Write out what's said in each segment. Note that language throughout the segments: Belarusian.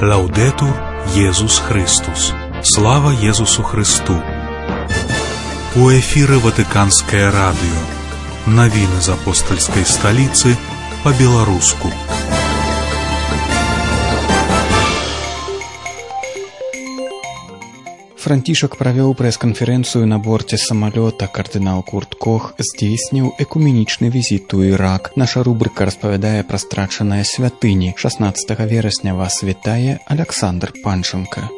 Лаудетур Єсус Христос. Слава Єсусу Христу. У эфире Ватиканское радио. Новины из апостольской столицы по-белорусски. Францішак правёў прэс-канферэнцыю на борце самалёта. Кардынал Курт Кох здзейсніў экуменічны візіт у Ірак. Наша рубрыка распавядае пра страчаныя святыні. 16 верасня вас вітае Александр Панченко.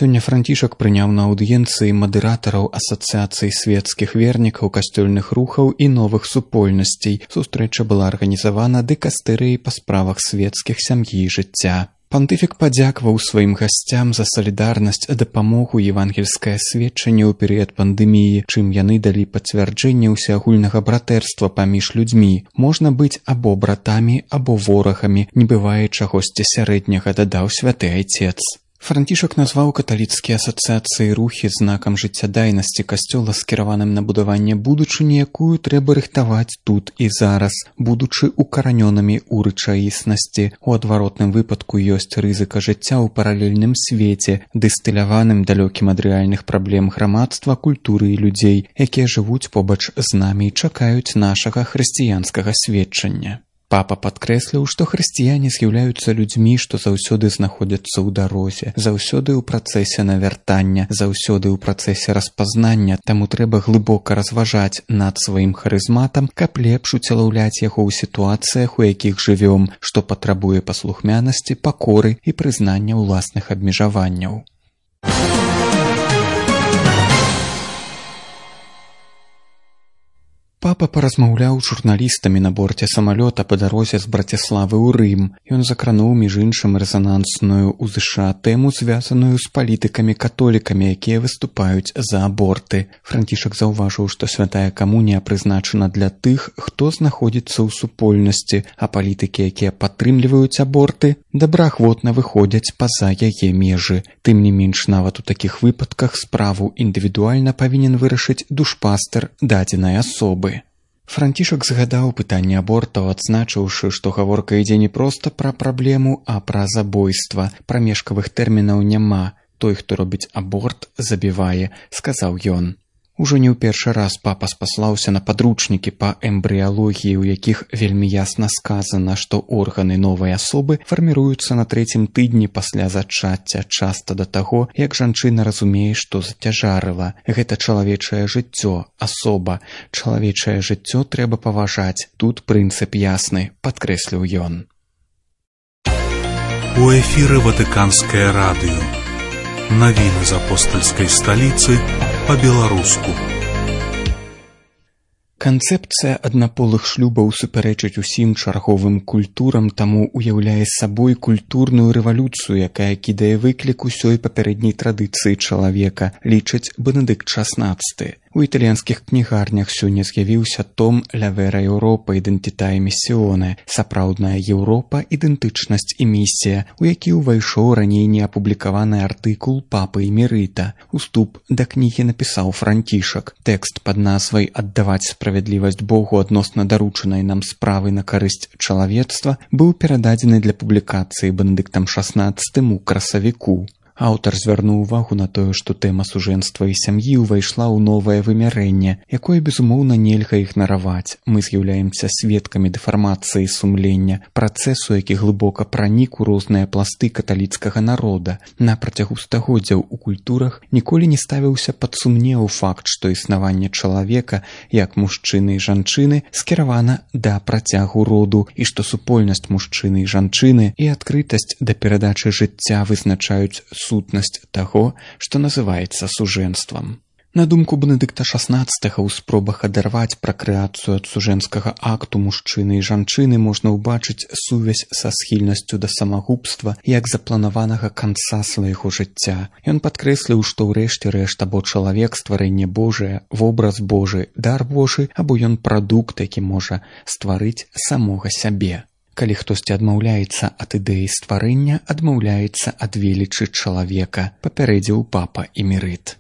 Сёння Францішак прыняў на аўдыенцыі мадэратараў Асацыяцыі светскіх вернікаў, касцёльных рухаў і новых супольнасцей. Сустрэча была арганізавана дыкастэрыяй па справах светскіх, сям'і і жыцця. Пантыфік падзякаваў сваім гасцям за салідарнасць, дапамогу і евангельскае сведчанне ў перыяд пандэміі, чым яны далі пацвярджэнне ўсеагульнага братэрства паміж людзьмі. Можна быць або братамі, або ворагамі, не бывае чагосьці сярэдняга, дадаў святы айцец. Францішак назваў каталіцкія асацыяцыі рухі знакам жыццядайнасці касцёла, скіраваным на будаванне будучыні, якую трэба рыхтаваць тут і зараз, будучы укаранёнымі ў рэчаіснасці. У адваротным выпадку ёсць рызыка жыцця ў паралельным свеце, дыстыляваным далёкім ад рэальных праблем грамадства, культуры і людзей, якія жывуць побач з намі і чакаюць нашага хрысціянскага сведчання. Папа падкрэсліў, што хрысціяне з'яўляюцца людзьмі, што заўсёды знаходзяцца ў дарозе, заўсёды ў працэсе навяртання, заўсёды ў працэсе распазнання, таму трэба глыбока разважаць над сваім харызматам, каб лепш уцелаўляць яго ў сітуацыях, у якіх жывём, што патрабуе паслухмянасці, пакоры і прызнання ўласных абмежаванняў. Папа паразмаўляў з журналістамі на борце самалёта па дарозе з Браціславы ў Рым. Ён закрануў, між іншым, рэзанансную ў ЗША тэму, звязаную з палітыкамі-католікамі, якія выступаюць за аборты. Францішак заўважыў, што святая камунія прызначана для тых, хто знаходзіцца ў супольнасці, а палітыкі, якія падтрымліваюць аборты, добраахвотна выходзяць па-за яе межы. Тым не менш, нават у такіх выпадках справу індывідуальна павінен вырашыць душпастэр дадзенай асобы. Францішак згадаў пытанне абортаў, адзначыўшы, што гаворка ідзе не проста пра праблему, а пра забойства. Прамежкавых тэрмінаў няма. Той, хто робіць аборт, забівае, сказаў ён. Ужо не ў першы раз папа спаслаўся на падручнікі па эмбрыялогіі, у якіх вельмі ясна сказана, што органы новай асобы фарміруюцца на 3-м тыдні пасля зачацця, часта да таго, як жанчына разумее, што зацяжарыла. Гэта чалавечае жыццё, асоба. Чалавечае жыццё трэба паважаць. Тут прынцып ясны, падкрэсліў ён. У эфире Ватиканское радио. Новины из апостольской столицы по-белорусски. Канцэпцыя аднаполых шлюбаў супярэчыць усім чарговым культурам, таму уяўляе сабой культурную рэвалюцыю, якая кідае выклік усёй папярэдняй традыцыі чалавека, лічыць Бенедыкт XVI. У італьянскіх кнігарнях сёння з'явіўся том «Ля вера Еўропа. Ідэнтіта і місіоне» – «Сапраўдная Еўропа. Ідэнтычнасць і місія», у які ўвайшоў раней неапублікаваны артыкул папы Эмерыта. Уступ да кнігі напісаў Францішак. Тэкст пад назвай «Аддаваць справядлівасць Богу адносна даручанай нам справы на карысць чалавецтва» быў перададзены для публікацыі Бенедыктам XVI у красавіку. Аўтар звярнуў увагу на тое, што тэма сужэнства і сям'і ўвайшла ў новае вымярэнне, якое, безумоўна, нельга ігнараваць. Мы з'яўляемся сведкамі дэфармацыі сумлення, працэсу, які глыбока пранік у розныя пласты каталіцкага народа. На працягу стагоддзяў у культурах ніколі не ставіўся пад сумнеў факт, што існаванне чалавека, як мужчыны і жанчыны, скіравана да працягу роду, і што супольнасць мужчыны і жанчыны і адкрытасць да перадачы жыцця вызначаюць сутнасць таго, што называецца сужэнствам. На думку Бенедыкта XVI, у спробах адарваць пракрэацыю ад сужэнскага акту мужчыны і жанчыны можна ўбачыць сувязь са схільнасцю да самагубства як запланаванага канца свайго жыцця. Ён падкрэсліў, што ў рэшце рэшт або чалавек стварэнне Божае, вобраз Божы, дар Божы, або ён прадукт, які можа стварыць самога сябе. Калі хтосьці адмаўляецца ад ідэі стварэння, адмаўляецца ад велічы чалавека, папярэдзіў папа Эмерыт.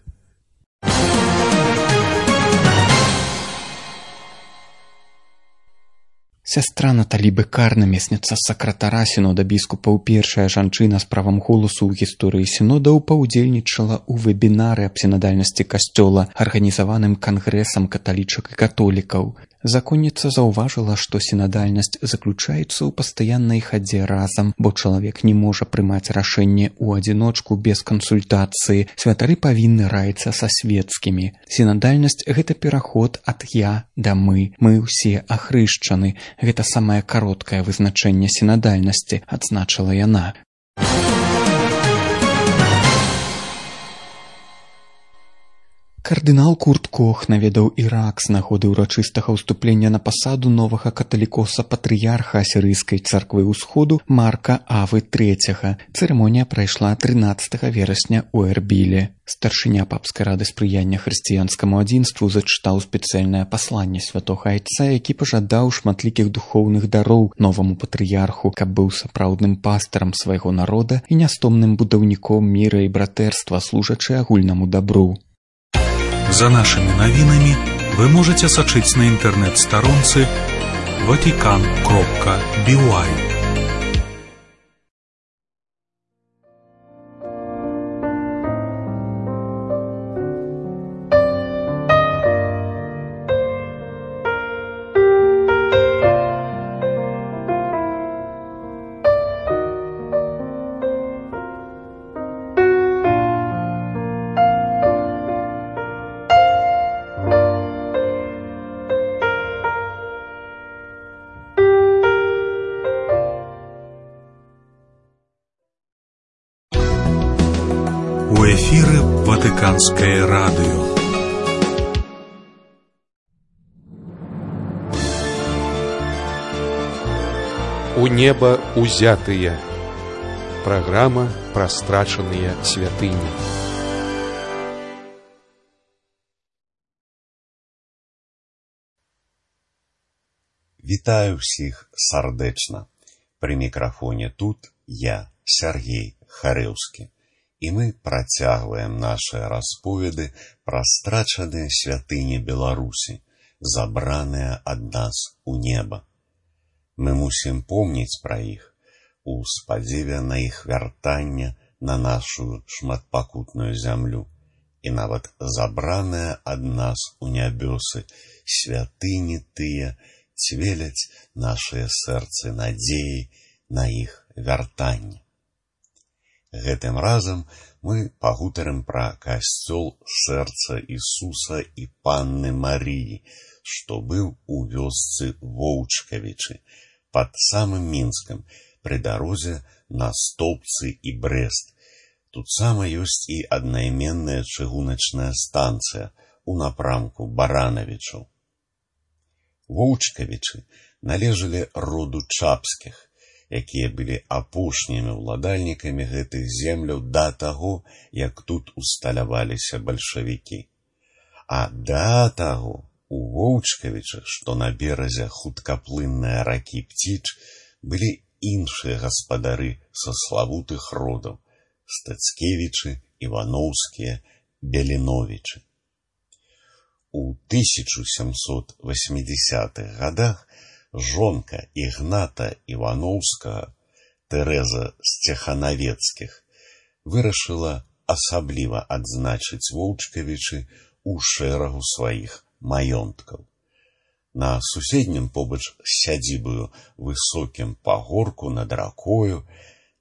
Сястра Наталі Бекар, намесніца сакратара сінода біскупаў, першая жанчына з правам голасу ў гісторыі сінодаў, паўдзельнічала ў вебінары аб сінадальнасці касцёла, арганізаваным кангрэсам каталічак і католікаў. Законніца заўважыла, што сінадальнасць заключаецца ў пастаяннай хадзе разам, бо чалавек не можа прымаць рашэнне ў адзіночку без кансультацыі. Святары павінны раіцца са свецкімі. Сінадальнасць – гэта пераход ад «я» да «мы». Мы ўсе ахрышчаны. Гэта самае кароткае вызначэнне сінадальнасці, адзначыла яна. Кардынал Курт Кох наведаў Ірак з нагоды ўрачыстага ўступлення на пасаду новага каталікоса-патрыярха асірыйскай царквы ўсходу Марка Авы III. Цырымонія прайшла 13 верасня ў Эрбіле. Старшыня папскай рады спрыяння хрысціянскаму адзінству зачытаў спецыяльнае пасланне святога айца, які пажадаў шматлікіх духоўных дароў новаму патрыярху, каб быў сапраўдным пастарам свайго народа і нястомным будаўніком міра і братэрства, служачы агульнаму дабру. За нашими новинами вы можете сочить на интернет-сторонце vatican.by. У эфіры Ватыканскае радыё. У неба узятыя. Праграма пра страчаныя святыні. Вітаю ўсіх сардэчна. Пры мікрафоне тут я, Сергей Харэўскі. І мы працягваем нашыя расповеды пра страчаныя святыні Беларусі, забраныя ад нас у неба. Мы мусім помніць пра іх у спадзеве на іх вяртання на нашу шматпакутную зямлю. І нават забраныя ад нас у нябёсы святыні тыя цвеляць нашыя сэрцы надзеі на іх вяртанне. Гэтым разам мы пагутарым пра касцёл сэрца Ісуса і Панны Марыі, што быў у вёсцы Воўчкавічы, пад самым Мінскам, пры дарозе на Столбцы і Брэст. Тут сама ёсць і аднайменная чыгуначная станцыя у напрамку Баранавічаў. Воўчкавічы належалі роду Чапскіх, якія былі апошнімі ўладальнікамі гэтых земляў да таго, як тут усталяваліся бальшавікі. А да таго у Воўчкавічах, што на беразе хуткаплыннай ракі Пціч, былі іншыя гаспадары са славутых родаў – Стацкевічы, Іваноўскія, Беліновічы. У 1780-х гадах жонка Ігната Іваноўскага, Тэрэза Сцеханавецкіх, вырашыла асабліва адзначыць Воўчкавічы ў шэрагу сваіх маёнткаў. На суседнім побач з сядзібаю высокім пагорку над ракою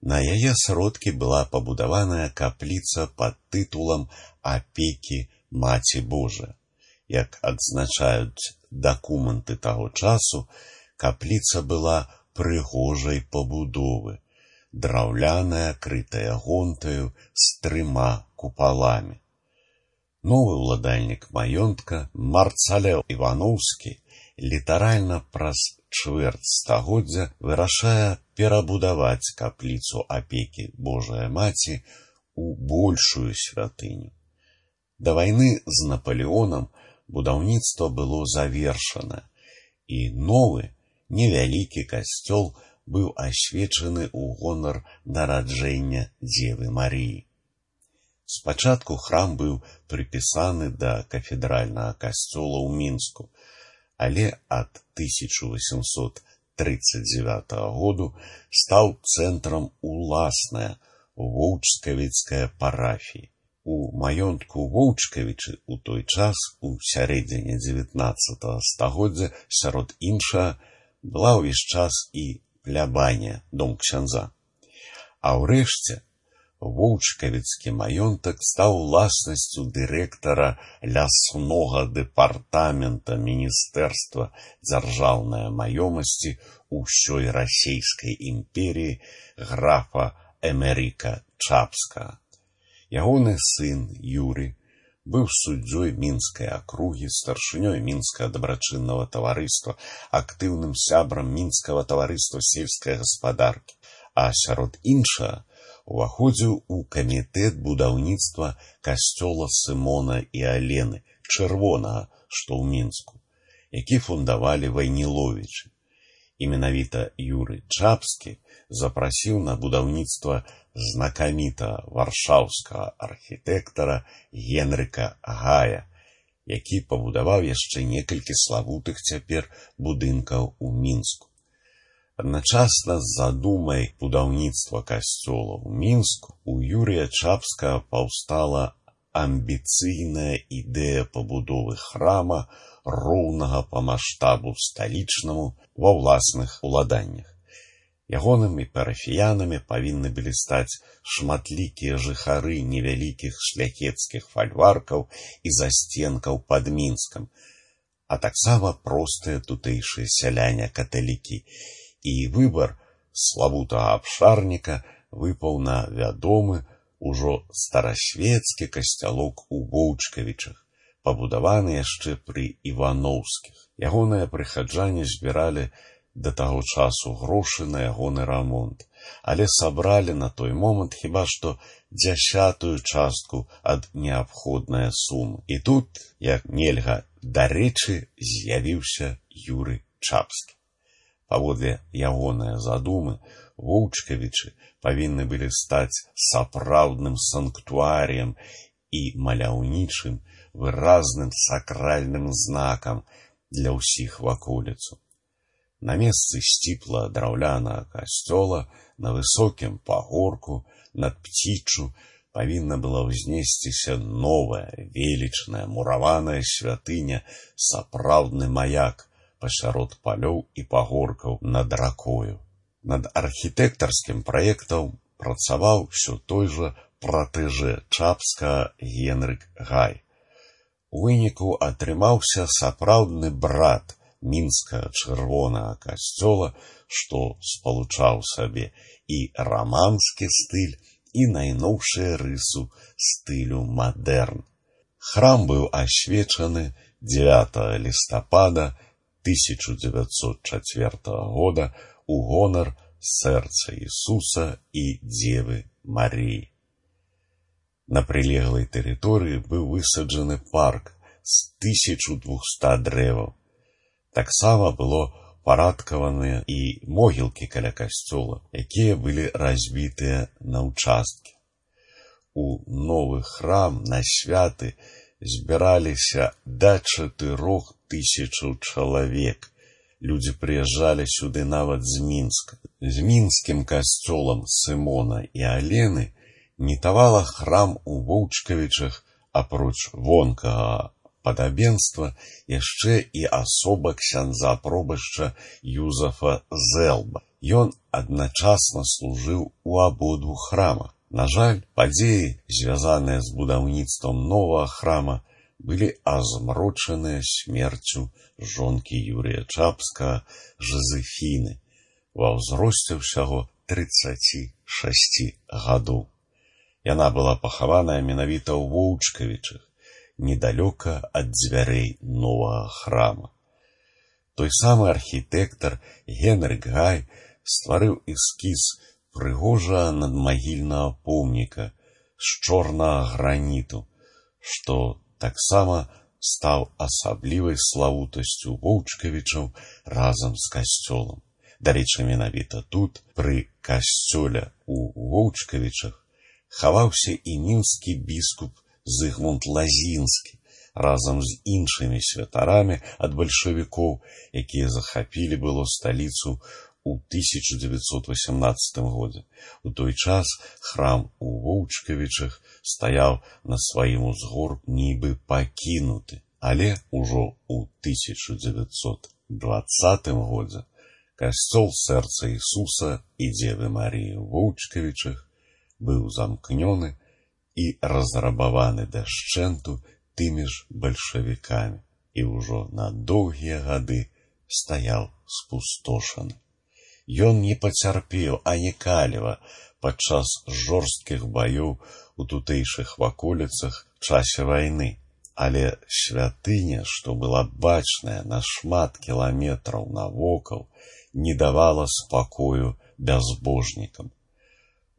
на яе сродкі была пабудаваная капліца пад тытулам апекі Маці Божа. Як адзначаюць дакументы таго часу, капліца была прыгожай пабудовы, драўляная, крытая гонтаю з 3 купаламі. Новы ўладальнік маёнтка Марцалеў Іваноўскі літаральна праз чвэрць стагоддзя вырашае перабудаваць капліцу апекі Божая Маці у большую святыню. Да вайны з Напалеонам будаўніцтва было завершана, і новы, невялікі касцёл быў асвечаны ў гонар нараджэння Дзевы Марыі. Спачатку храм быў прыпісаны да кафедральнага касцёла ў Мінску, але ад 1830 1939 году стаў цэнтрам уласнае воўчкавіцкае парафіі. У маёнтку Воўчкавічы ў той час, у сярэдзіне 19 стагоддзя, сярод іншага, была ўвесь час і плябанія, дом ксяндза. А ўрэшце, Воўчкавіцкі маёнтак стаў уласнасцю дырэктара ляснога дэпартамента Міністэрства дзяржаўнай маёмасці ўсёй расійскай імперіі графа Эмеріка Чапскага. Ягоны сын Юрый быў суддзёй Мінскай акругі, старшынёй Мінскага дабрачыннага таварыства, актыўным сябрам Мінскага таварыства сельскай гаспадаркі, а сярод іншага уваходзіў у камітэт будаўніцтва касцёла Сымона і Алены, чырвонага, што ў Мінску, які фундавалі Вайніловічы. І менавіта Юрый Чапскі запрасіў на будаўніцтва знакамітага варшаўскага архітэктара Генрыка Гая, які пабудаваў яшчэ некалькі славутых цяпер будынкаў у Мінску. Адначасна з задумай будаўніцтва касцёла ў Мінску у Юрыя Чапскага паўстала амбіцыйная ідэя пабудовы храма, роўнага па маштабу сталічнаму, ва ўласных уладаннях. Ягонымі парафіянамі павінны былі стаць шматлікія жыхары невялікіх шляхецкіх фальваркаў і засценкаў пад Мінскам, а таксама простыя тутэйшыя сяляне-каталікі. І выбар славутага абшарніка выпаў на вядомы ўжо старасвецкі касцялок у Воўчкавічах, пабудаваны яшчэ пры Івановскіх. Ягоныя прыхаджане збіралі да таго часу грошы на ягоны рамонт, але сабралі на той момант хіба што 10% частку ад неабходнае сумы. І тут, як нельга дарэчы, з'явіўся Юрый Чапскі. Паводле ягоныя задумы, Воўчкавічы павінны былі стаць сапраўдным санктуарыем і маляўнічым, выразным сакральным знакам для ўсіх ваколіцу. На месцы сціпла драўлянага касцёла на высокім пагорку над Пціччу павінна была ўзнесціся новая, велічная, мураваная святыня, сапраўдны маяк пасярод палёў і пагоркаў над ракою. Над архітэктарскім праектам працаваў усё той жа пратэжэ Чапскага Генрык Гай. У выніку атрымаўся сапраўдны брат мінскага чырвонага касцёла, што спалучаў сабе і раманскі стыль, і найноўшыя рысу стылю мадэрн. Храм быў асвечаны 9 лістапада 1904 года у гонар сэрца Ісуса і Дзевы Марыі. На прылеглай тэрыторыі быў высаджаны парк з 1200 дрэваў. Таксама было парадкаваныя і могілкі каля касцёла, якія былі разбітыя на ўчасткі. У новы храм на святы збіраліся да 4000 чалавек. Людзі прыязджалі сюды нават з Мінска. З мінскім касцёлам Сымона і Алены нітавала храм у Воўчкавічах, апроч вонкага падабенства, яшчэ і асоба ксяндза пробашча Юзафа Зэлба. Ён адначасна служыў у абодвух храмах. На жаль, падзеі, звязаныя з будаўніцтвам новага храма, былі азмрочаныя смерцю жонкі Юрыя Чапскага Жозефіны ва ўзросце ўсяго 36 гадоў. Яна была пахаваная менавіта ў Воўчкавічах, недалёка ад дзвярэй новага храма. Той самы архітэктар Генрык Гай стварыў эскіз прыгожага надмагільнага помніка з чорнага граніту, што таксама стаў асаблівай славутасцю Воўчкавічаў разам з касцёлам. Дарэчы, менавіта тут, пры касцёле у Воўчкавічах, хаваўся і мінскі біскуп Зыгмунд Лазінскі, разам з іншымі святарамі ад бальшавікоў, якія захапілі было сталіцу у 1918 годзе. У той час храм у Воўчкавічах стаяў на сваім узгорку нібы пакінуты, але ўжо ў 1920 годзе касцёл Сэрца Ісуса і Дзевы Марыі ў Воўчкавічах быў замкнёны і разрабаваны дашчэнту тымі ж бальшавікамі і ўжо на доўгія гады стаяў спустошаны. Ён не пацярпеў ані каліва падчас жорсткіх баёў у тутэйшых ваколіцах часе вайны, але святыня, што была бачная на шмат кіламетраў навокал, не давала спакою бязбожнікам.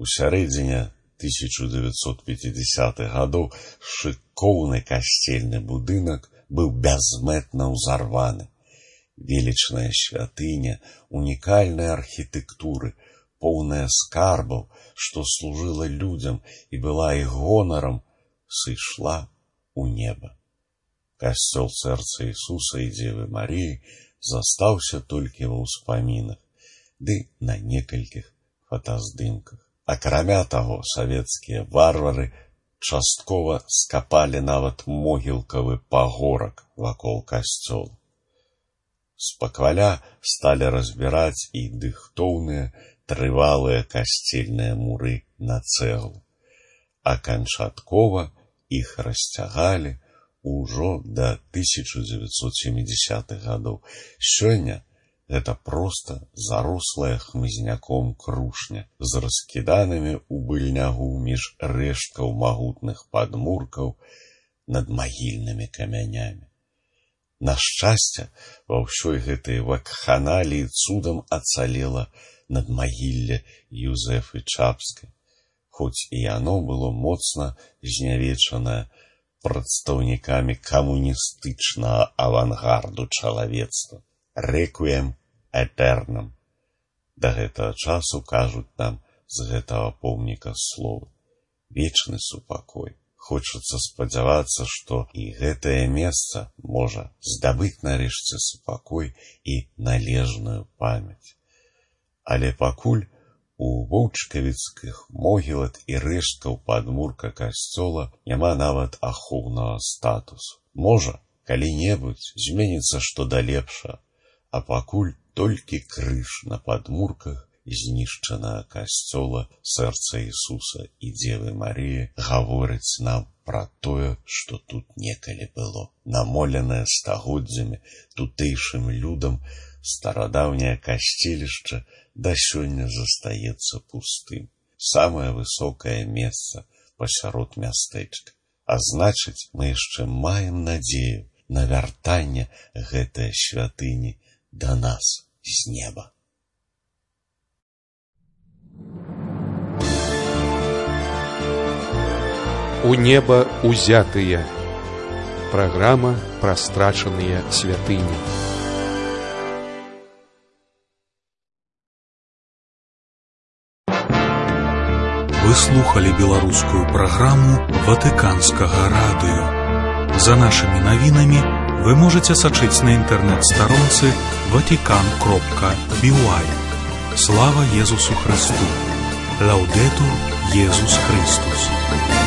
У сярэдзіне 1950-х гадоў шыкоўны касцельны будынак быў бязмэтна ўзарваны. Велічная святыня унікальнай архітэктуры, поўная скарбаў, што служыла людзям і была іх гонарам, сышла у неба. Касцёл Сэрца Ісуса і Дзевы Марыі застаўся толькі ва ўспамінах, ды на некалькіх фотаздымках. Акрамя таго, савецкія варвары часткова скапалі нават могілкавы пагорак вакол касцёла. Спакваля сталі разбіраць і дыхтоўныя трывалыя касцельныя муры на цэглу. А канчаткова іх расцягалі ўжо да 1970-х гадоў. Сёння гэта проста зарослая хмызняком крушня з раскіданымі ў быльнягу між рэшткаў магутных падмуркаў над магільнымі камянямі. На шчасце, ва ўсёй гэтай вакханаліі цудам ацалела надмагілле Юзэфы Чапскай, хоць і яно было моцна знявечанае прадстаўнікамі камуністычнага авангарду чалавецтва. Рэквіем этернам. Да гэтага часу кажуць нам з гэтага помніка словы. Вечны супакой. Хочацца спадзявацца, што і гэтае месца можа здабыць нарэшце супакой і належную памяць. Але пакуль у воўчкавіцкіх могілак і рэшткаў падмурка касцёла няма нават ахоўнага статусу. Можа, калі-небудзь зменіцца што да лепшага, а пакуль толькі крыж на падмурках знішчанага касцёла Сэрца Ісуса і Дзевы Марыі гаворыць нам пра тое, што тут некалі было. Намоленае стагоддзямі тутэйшым людам, старадаўняе касцелішча да сёння застаецца пустым. Самае высокае месца пасярод мястэчка. А значыць, мы яшчэ маем надзею на вяртанне гэтай святыні да нас з неба. У неба узятыя. Праграма пра страчаныя святыні. Вы слухали беларускую праграму Ватыканскага радыё. За нашымі навінамі вы можаце сачыць на інтэрнэт-старонцы vatican.by. Слава Езусу Христу! Лаўдэтур Езус Христус!